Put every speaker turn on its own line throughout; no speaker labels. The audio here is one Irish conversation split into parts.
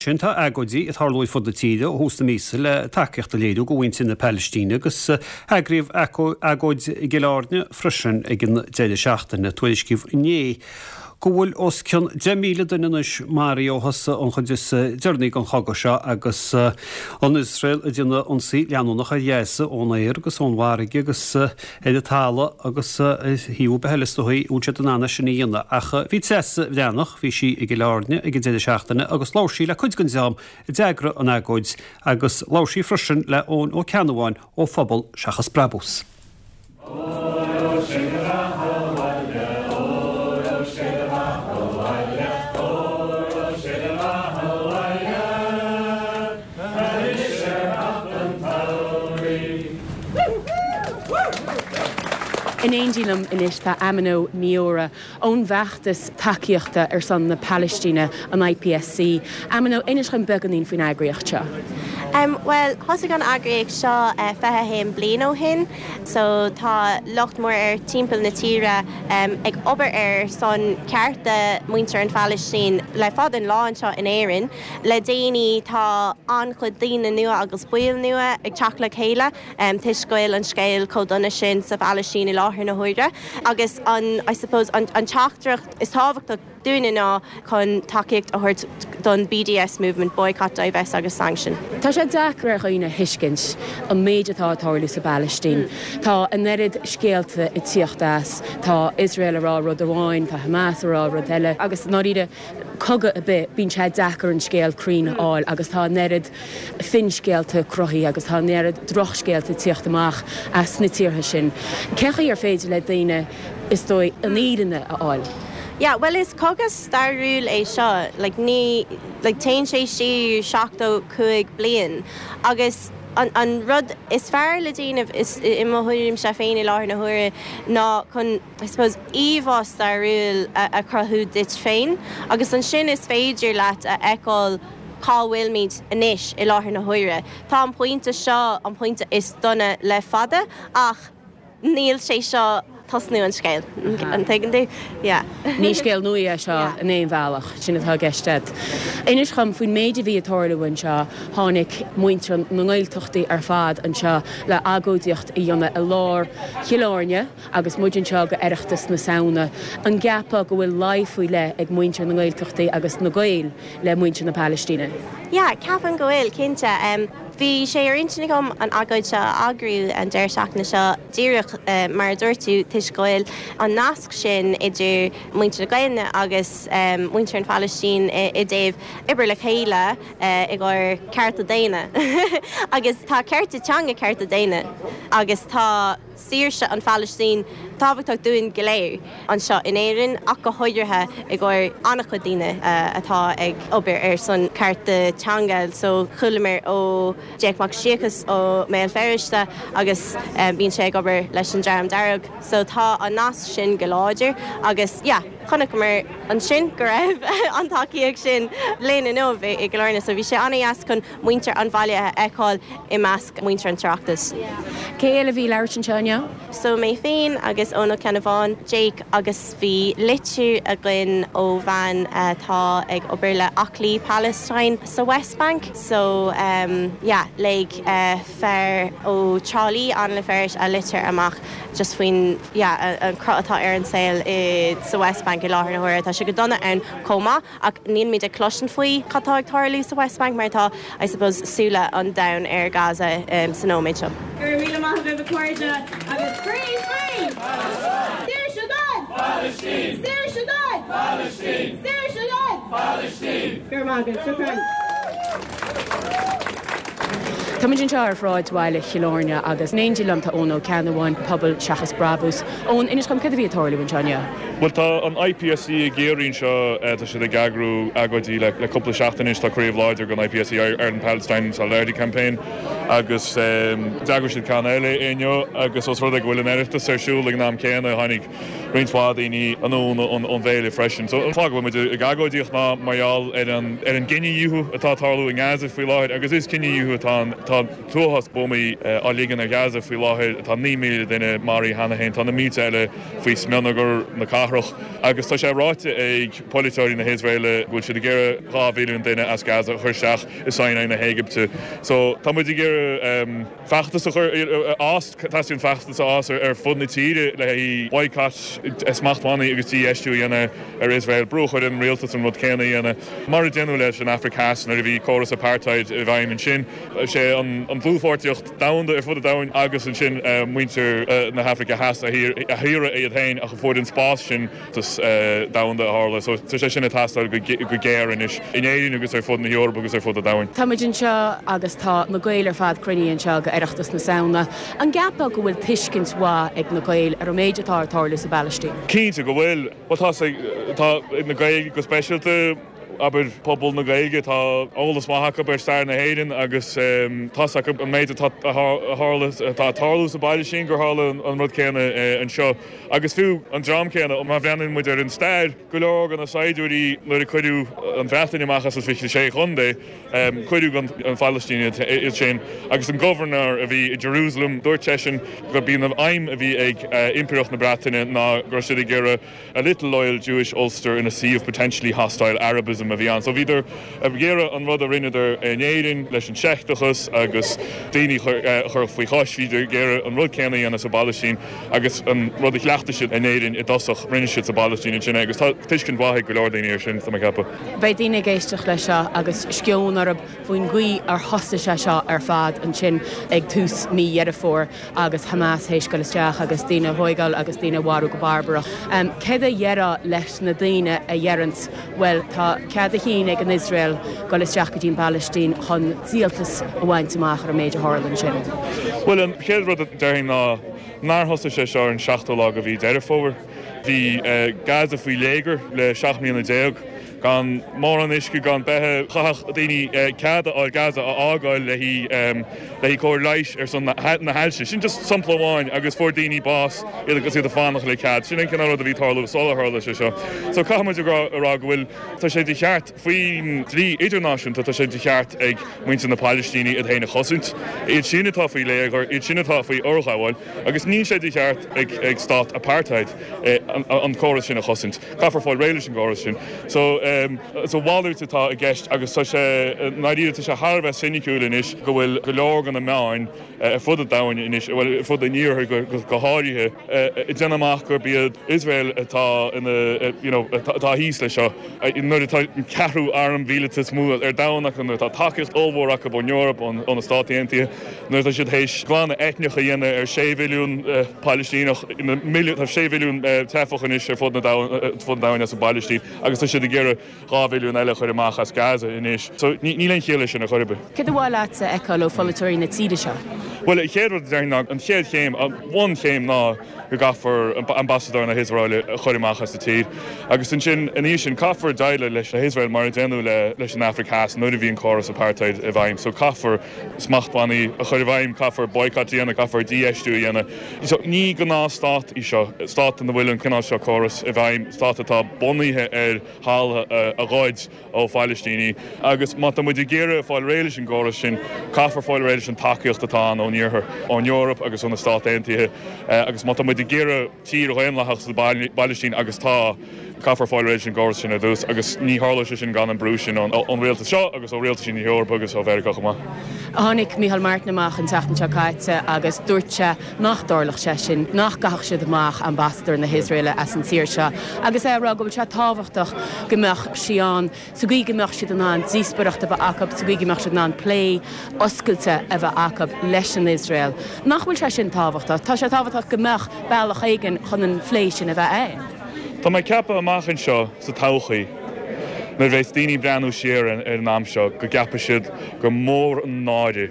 Sin tá agóidí ag tarlú ar fud na tíre ó thús na míosa le tacaíocht a léiriú do mhuintir na Palaistíne agus eagraíodh agóid i gCill Airne freisin ag an deireadh seachtaine. Tuairiscíodh inné go bhfuil os cionn 10,000 duine anois maraithe ó thosaigh an chuid is deireanaí den chogadh seo agus an Iosrael ag déanamh ionsaí leanúnach ar Ghaza ón aer agus ón bhfarraige agus ar an talamh agus ar thaobh ar bith eile is dóigh a bhfuil siad in ann é sin a dhéanamh. Ach bhí Treasa Bhreathnach, bhí sí i gCill Airne ag an deireadh seachtaine agus labhair sí le cuid den dream a d'eagraigh an agóid agus labhair sí freisin le Eoin Ó Ceannabháin ó Phobal Seachas Brabús.
In éindí liom anois tá Amino Miora ón bhfeachtas tacaíochta ar son na Palaistíne, an IPSC. Amino, inis dhom beagáinín faoin eagraíocht seo.
Bhuel, thosaigh an eagraíocht seo 21 bliain ó shin, so tá lucht mór ar timpeall na tíre ag obair ar son cearta muintir an Phalaistín le fada an lá anseo in Éirinn. Le déanaí tá an-chuid daoine nua agus baill nua ag teacht le chéile toisc go bhfuil an scéal chomh dona sin sa Phalaistín i láthair na huaire agus an, I suppose, an teachtaireacht is tábhachtach dúinne ná chun tacaíocht a thabhairt don BDS movement, Boycott, Divest agus Sanction.
Tá sé deacair ar dhaoine a thuiscint an méid atá ag tarlú sa bPalaistín. Tá an oiread scéalta ag tíocht as, tá Iosrael ag rá rud amháin, tá Hamas ag rá rud eile agus i ndáiríre, cogadh ar bith, bíonn sé deacair an scéal cruinn a fháil agus tá an oiread finscéalta cruthaithe agus tá an oiread drochscéalta ag tíocht amach as na tíortha sin. Cén chaoi ar féidir le daoine, is dóigh, an fhírinne a fháil?
Yeah, bhuel is cogadh stairiúil é seo, like ní, like téann sé siar 75 bliain agus an, an rud is fearr le déanamh is, i mo thuairimse féin i láthair na huaire ná chun, I suppose, íomhá stairiúil a chruthú duit féin agus ansin is féidir leat a fheiceáil cá bhfuilimid anois i láthair na huaire. Tá an pointe seo an pointe is dona le fada ach níl sé seo tosnú an scéil, an dtuigeann tú? Yeah.
Ní scéal nua é seo in aon bhealach, sin atá i gceist agat. Inis dhom faoin méid a bhí ag tarlú anseo, tháinig muintir na nGaeltachtaí ar fad anseo le agóidíocht a dhéanamh i lár Chill Airne, Agus muid anseo go Oireachtas na Samhna, an gceapfá go bhfuil luí faoi leith ag muintir na nGaeltachtaí agus na Gaeil le muintir na Palaistíne?
Yeah, ceapaim go bhfuil, cinnte. Bhí sé ar intinn agam an agóid seo a eagrú an deireadh seachtaine seo díreach mar a dúirt tú, toisc go bhfuil an nasc sin idir muintir na Gaelainne agus muintir an Phalaistín i dtaobh obair le chéile i gcomhair cearta daonna. Agus tá cearta teanga cearta daonna agus tá. saoirse an Phalaistín tábhachtach dúinn go léir anseo in Éirinn ach go háirithe i gcomhair an-chuid daoine atá ag obair ar son cearta teanga. So chualamar ó Jake Mac Siacais ó mBéal Feirste agus bíonn sé ag obair leis an Dream Dearg. So tá an nasc sin go láidir agus yeah chonaiceamar ansin go raibh an tacaíocht sin linn inniu i gCill Airne. So bhí sé an-dheas chun muintir an bhaile a fheiceáil i measc muintir an tOireachtais.
Cé eile a bhí ag labhairt anseo inniu?
So mé féin agus Eoin Ó Ceannabháin, Jake agus bhí litir againn ó bhean atá ag obair le Aclaí Palestine sa West Bank. So yeah léigh fear ó Trá Lí, Anna Ferris a litir amach just faoin yeah an cruth atá ar an saol i sa West Bank i láthair na huaire. Tá sé go dona ann chomh maith. Ach nílimid ag cloisint faoi cad tá ag tarlú sa West Bank mar tá, I suppose, súile an domhain ar Gaza sa nóiméad seo.
Go raibh míle maith agaibh a chairde agus free free! Saoirse don! Palaistín! Saoirse don! Palaistín! Saoirse don! Palaistín! Go raibh maith agaibh, shukran.
Táimid anseo ar shráid bhaile Chill Airne agus in éindí liom tá Eoin Ó Ceannabháin, Pobal Seachas Brabús. Eoin, inis dom céard a bhí ag tarlú anseo inniu?
Bhuel tá an IPSC i gCiarraí anseo, tá siad ag eagrú agóidí le cúpla seachtain anois, tá craobh láidir den IPSC, Ireland Palestine Solidarity Campaign. Agus d'eagraigh siad ceann eile inniu agus os rud é go bhfuil an Oireachtas ar siúl ag an am céanna, tháinig roinnt mhaith daoine anonn ón bhféile freisin. So an fáth go bhfuil muid ag agóidíocht ná mar gheall ar an ar an gcinedhíothú atá ag tarlú i nGaza faoi láthair agus is cinedhíothú atá ann. Tá an t-uafás buamaí á ligean ar Ghaza faoi láthair, tá 9,000 duine maraithe cheana féin, tá na mílte eile faoi smionagar na cathrach agus tá sé ráite ag polaiteoirí na hIosraeile go bhfuil siad ag iarraidh 2 mhilliún duine as Gaza a chur isteach i Sinai na hÉigipte. So tá muid ag iarraidh feachtas a chur a fhás, teastaíonn feachtas a fhás ar fud na tíre le haghaidh boycott, smachtbhannaí agus dífheistiú a dhéanamh ar Iosrael, brú a chur ar an rialtas an rud céanna a dhéanamh, mar a déanadh leis an Afraic Theas nuair a bhí córas apartheid i bhfeidhm ansin. Is é an dlúthpháirtíocht domhanda ar fud an domhain agus ansin muintir na hAfraice Theas a shaoradh iad féin ach a fuair an spás sin domhanda a tharla. So tá sé sin ag teastáil go géar anois in Éirinn agus ar fud na hEorpa agus ar fud an domhain.
Tá muid anseo agus tá na Gaeil ar fad cruinnithe anseo go Oireachtas na Samhna. An gceapfá go bhfuil tuiscint mhaith ag na Gaeil ar an méid atá ag tarlú sa bPalaistín?
Cinnte go bhfuil. Bhuel tá tá na Gaeil go speisialta. abair, pobal na Gaeilge, tá eolas maith acu ar stair na hÉireann agus tá's acu an méid atá tharla, atá ag tarlú sa bPailistín, gur tharla an rud céanna anseo. Agus fiú an dream céanna, má bhreathnaíonn muid ar an stair, go leor de na saighdiúirí nuair a cuireadh an Bhreatain amach as an 26 chontae, cuireadh an Phalaistín iad sin. Agus an gobharnóir a bhí i Jerusalem, dúirt seisean gurb í an aidhm a bhí ag Impireacht na Breataine ná go raibh siad ag iarraidh A little loyal Jewish Ulster in a sea of potentially hostile Arabism a bhí ann. So bhíodar ag iarraidh an rud a rinneadar in Éirinn leis an seicteachas agus daoine a chur faoi chois, bhíodar ag iarraidh an rud céanna a dhéanamh sa bPalaistín agus an rud a chleachtaigh siad in Éirinn i dtosach, rinne siad sa bPalaistín ansin é agus tá tuiscint mhaith ag go leor daoine air sin, tá mé ag ceapadh.
Beidh daoine ag éisteacht leis seo agus sceon orthu faoin gcaoi ar thosaigh sé seo ar fad ansin ag tús mí Dheireadh Fómhair. agus Hamas théis goil isteach agus daoine a thóigeáil agus daoine a mharú go barbarach. Céard a dhéarfá leis na daoine a dheireanns, bhuel, tá cead a chinn ag an Iosrael goil isteach go dtí an bPalaistín chun díoltas a bhaint amach ar an méid a tharla ansin?
Bhuel, an chéad rud a déarfainn ná nár thosaigh sé seo ar an seachtú lá de mhí Deireadh Fómhair. Bhí Gaza faoi léigear le 17 mbliana. Gan mórán uisce, gan beatha, chaithfeadh daoine cead a fháil Gaza a fhágáil le haghaidh cóir leighis ar son na hailse. Sin just sampla amháin agus fuair daoine bás agus iad ag fanacht le cead. Sin an cineál rud a bhí ag tarlú sular tharla sé seo. So caithfidh muid a rá go bhfuil, tá sé de cheart faoin dlí idirnáisiúnta, tá sé de cheart ag muintir na Palaistíne iad féin a chosaint, iad sin atá faoi léigear, iad sin atá faoi fhorghabháil agus níl sé de cheart ag stát apartheid an córas sin a chosaint. Caithfear fáil réidh leis an gcóras sin. So, is a mhalairt atá i gceist agus tá sé, i ndáiríre, tá sé thar a bheith soiniciúil anois go bhfuil go leor de na meáin ar fud an domhain anois, bhuel, ar fud an iarthair go háirithe, ag déanamh amach gurb iad Iosrael atá ina, you know, atá thíos leis seo. Nuair atá an ceathrú arm mhíleata is mó ar domhan acu, nuair atá tacaíocht ollmhór acu ón Eoraip, ó na Stáit Aontaithe, Nuair atá siad théis glanadh eitneach a dhéanamh ar 6 mhilliún Palaistíneach, tá 6 mhilliún teifeach anois ar fud an domhain as an bPalaistín agus tá siad ag iarraidh 2 mhilliún eile a chur amach as Gaza anois. So níl aon chiall leis sin ar chor ar bith.
Céard ba mhaith leat a fheiceáil ó pholaiteoirí na tíre seo?
Bhuel, an chéad rud a déarfainn ná, an chéad chéim, an bhunchéim ná go gcaithfear ambasadóir na hIosraeile a chur amach as an tír. Agus ansin, ina dhiaidh sin, caithfear déileáil leis na hIosrael mar a déanadh leis an Afraic Theas nuair a bhí an córas apartheid i bhfeidhm. So caithfear smachtbhannaí a chur i bhfeidhm, caithfear boycott a dhéanamh, caithfear dífheistiú a dhéanamh. So, ní gnáthstát í seo, stát ina bhfuil an cineál seo córas i bhfeidhm, stát atá bunaithe ar thalamh a ghoid ó Phalaistínigh. Agus má tá muid ag iarraidh fáil réidh leis an gcóras sin, caithfear fáil réidh leis an tacaíocht atá ann ón Iarthar, ón Eoraip agus ó na Stáit Aontaithe. Agus má tá muid ag iarraidh tír dhaonlathach sa bPalaistín, agus tá, Caithfear fáil réidh leis an gcóras sin ar dtús agus ní tharlóidh sé sin gan an brú sin ón rialtas seo agus ó rialtaisí na hEorpa agus ó Mheiriceá chomh maith.
Tháinig Micheál Martin amach an tseachtain seo caite agus dúirt sé nach dtarlódh sé sin, nach gcaithfeadh siad amach ambasadóir na hIosraeile as an tír seo agus é ag rá go bhfuil sé tábhachtach go mbeadh sí ann sa gcaoi go mbeadh siad in ann díospóireacht a bheith acu, sa gcaoi go mbeadh siad in ann plé oscailte a bheith acu leis an Iosrael. Nach bhfuil sé sin tábhachtach? Tá sé tábhachtach go mbeadh bealach éigin chun an phlé sin a bheith ann.
Tá mé ag ceapadh amach anseo sa todhchaí, nuair a bheas daoine ag breathnú siar ar an am seo, go gceapfaidh siad gur mór an náire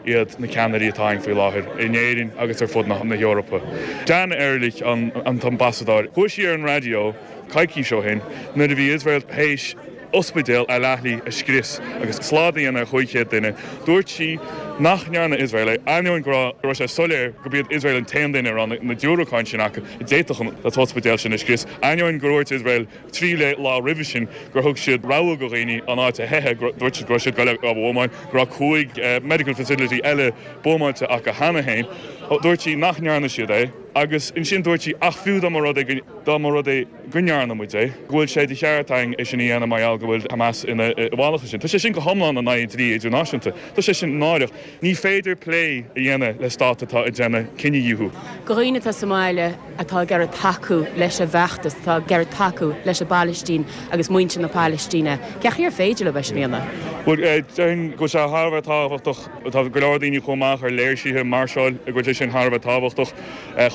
iad na ceannairí atá againn faoi láthair, in Éirinn agus ar fud na hEorpa. Dan Ehrlich, an t-ambasadóir, chuaigh sí ar an raidió coicís ó shin nuair a bhí Iosrael théis. Ospidéal Al-Ahli a scrios agus slad a dhéanamh ar 500 duine. Dúirt sí nach ndearna Iosrael é, ainneoin go raibh sé soiléir gurb iad Iosrael an t-aon duine a raibh na diúracáin sin acu a d'fhéadfadh an t-ospidéal sin a scrios, ainneoin gur dhúirt Iosrael 3 lá roimhe sin gur thug siad rabhadh do dhaoine an áit a theitheadh, dúirt siad go raibh siad ag dul á bhuamáil, go raibh 5 medical facility eile buamáilte acu cheana féin. Dúirt sí nach ndearna siad é agus ansin dúirt sí ach fiú dá mba rud é dá mba rud é go ndearna muid é, go bhfuil sé de cheart againn é sin a dhéanamh mar gheall go bhfuil Hamas ina bhfalach ansin. Tá sé sin go hiomlán in aghaidh an dlí idirnáisiúnta. Tá sé sin náireach. Ní féidir plé a dhéanamh le stát atá ag déanamh cinedhíothú.
Do dhaoine atá sa mbaile atá ag iarraidh tacú leis an bhfeachtas, atá ag iarraidh tacú leis an bPalaistín agus muintir na Palaistíne, cén chaoi ar féidir leo é sin a dhéanamh?
Bhuel, déarfainn go bhfuil sé thar a bheith tábhachtach. Tá go leor daoine ag dul amach ar léirsithe, máirseáil, go bhfuil sé sin thar a bheith tábhachtach.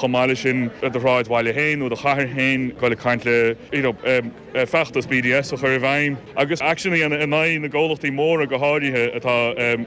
Chomh maith leis sin, i do shráidbhaile féin nó do chathair féin, dul ag caint le, you know, feachtas BDS a chur i bhfeidhm agus aicsean a dhéanamh in aghaidh na gcomhlachtaí móra go háirithe atá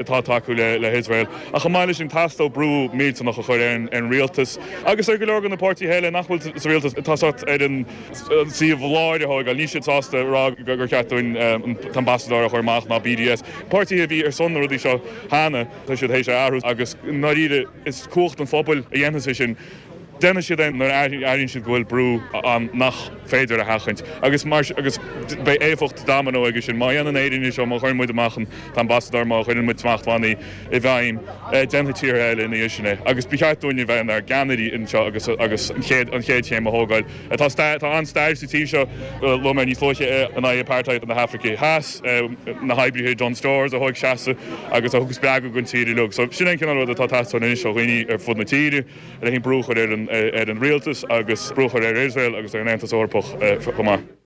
atá ag tacú le le hIosrael. Ach chomh maith leis sin, teastóidh brú millteanach a chur ar an ar an rialtas agus ar go leor de na páirtithe eile nach bhfuil sa rialtas atá sórt ar an taobh láir a thógáil. Níl siad sásta a rá gur cheart dúinn an t-ambasadóir a chur amach ná BDS. Páirtithe a bhí ar son na rudaí seo cheana, tá siad théis a athrú agus i ndáiríre, Is cumhacht an phobail a dhéanfas é sin. Déanfaidh siad é nuair a airíonn siad go bhfuil brú ann nach féidir a sheachaint. Agus mar agus beidh éifeacht domino aige sin. Má dhéanann Éirinn é seo, má chuireann muid amach an t-ambasadóir, má chuireann muid smachtbhannaí i bhfeidhm, déanfaidh tíortha eile ina dhiaidh sin é. Agus ba cheart dúinn a bheith inár gceannairí anseo agus agus an chéad an chéad chéim a thógáil. Tá stair tá an-stair sa tír seo, luaigh mé níos luaithe é, in aghaidh apartheid na hAfraice Theas. na hoibrithe Dunnes Stores a thóg seasamh agus a thug spreagadh don tír uilig. So sin é an cineál rud atá ag teastáil anois ó dhaoine ar fud na tíre, le haghaidh brú a chur ar an rialtas agus brú a chur ar Iosrael agus ar an Aontas Eorpach chomh maith.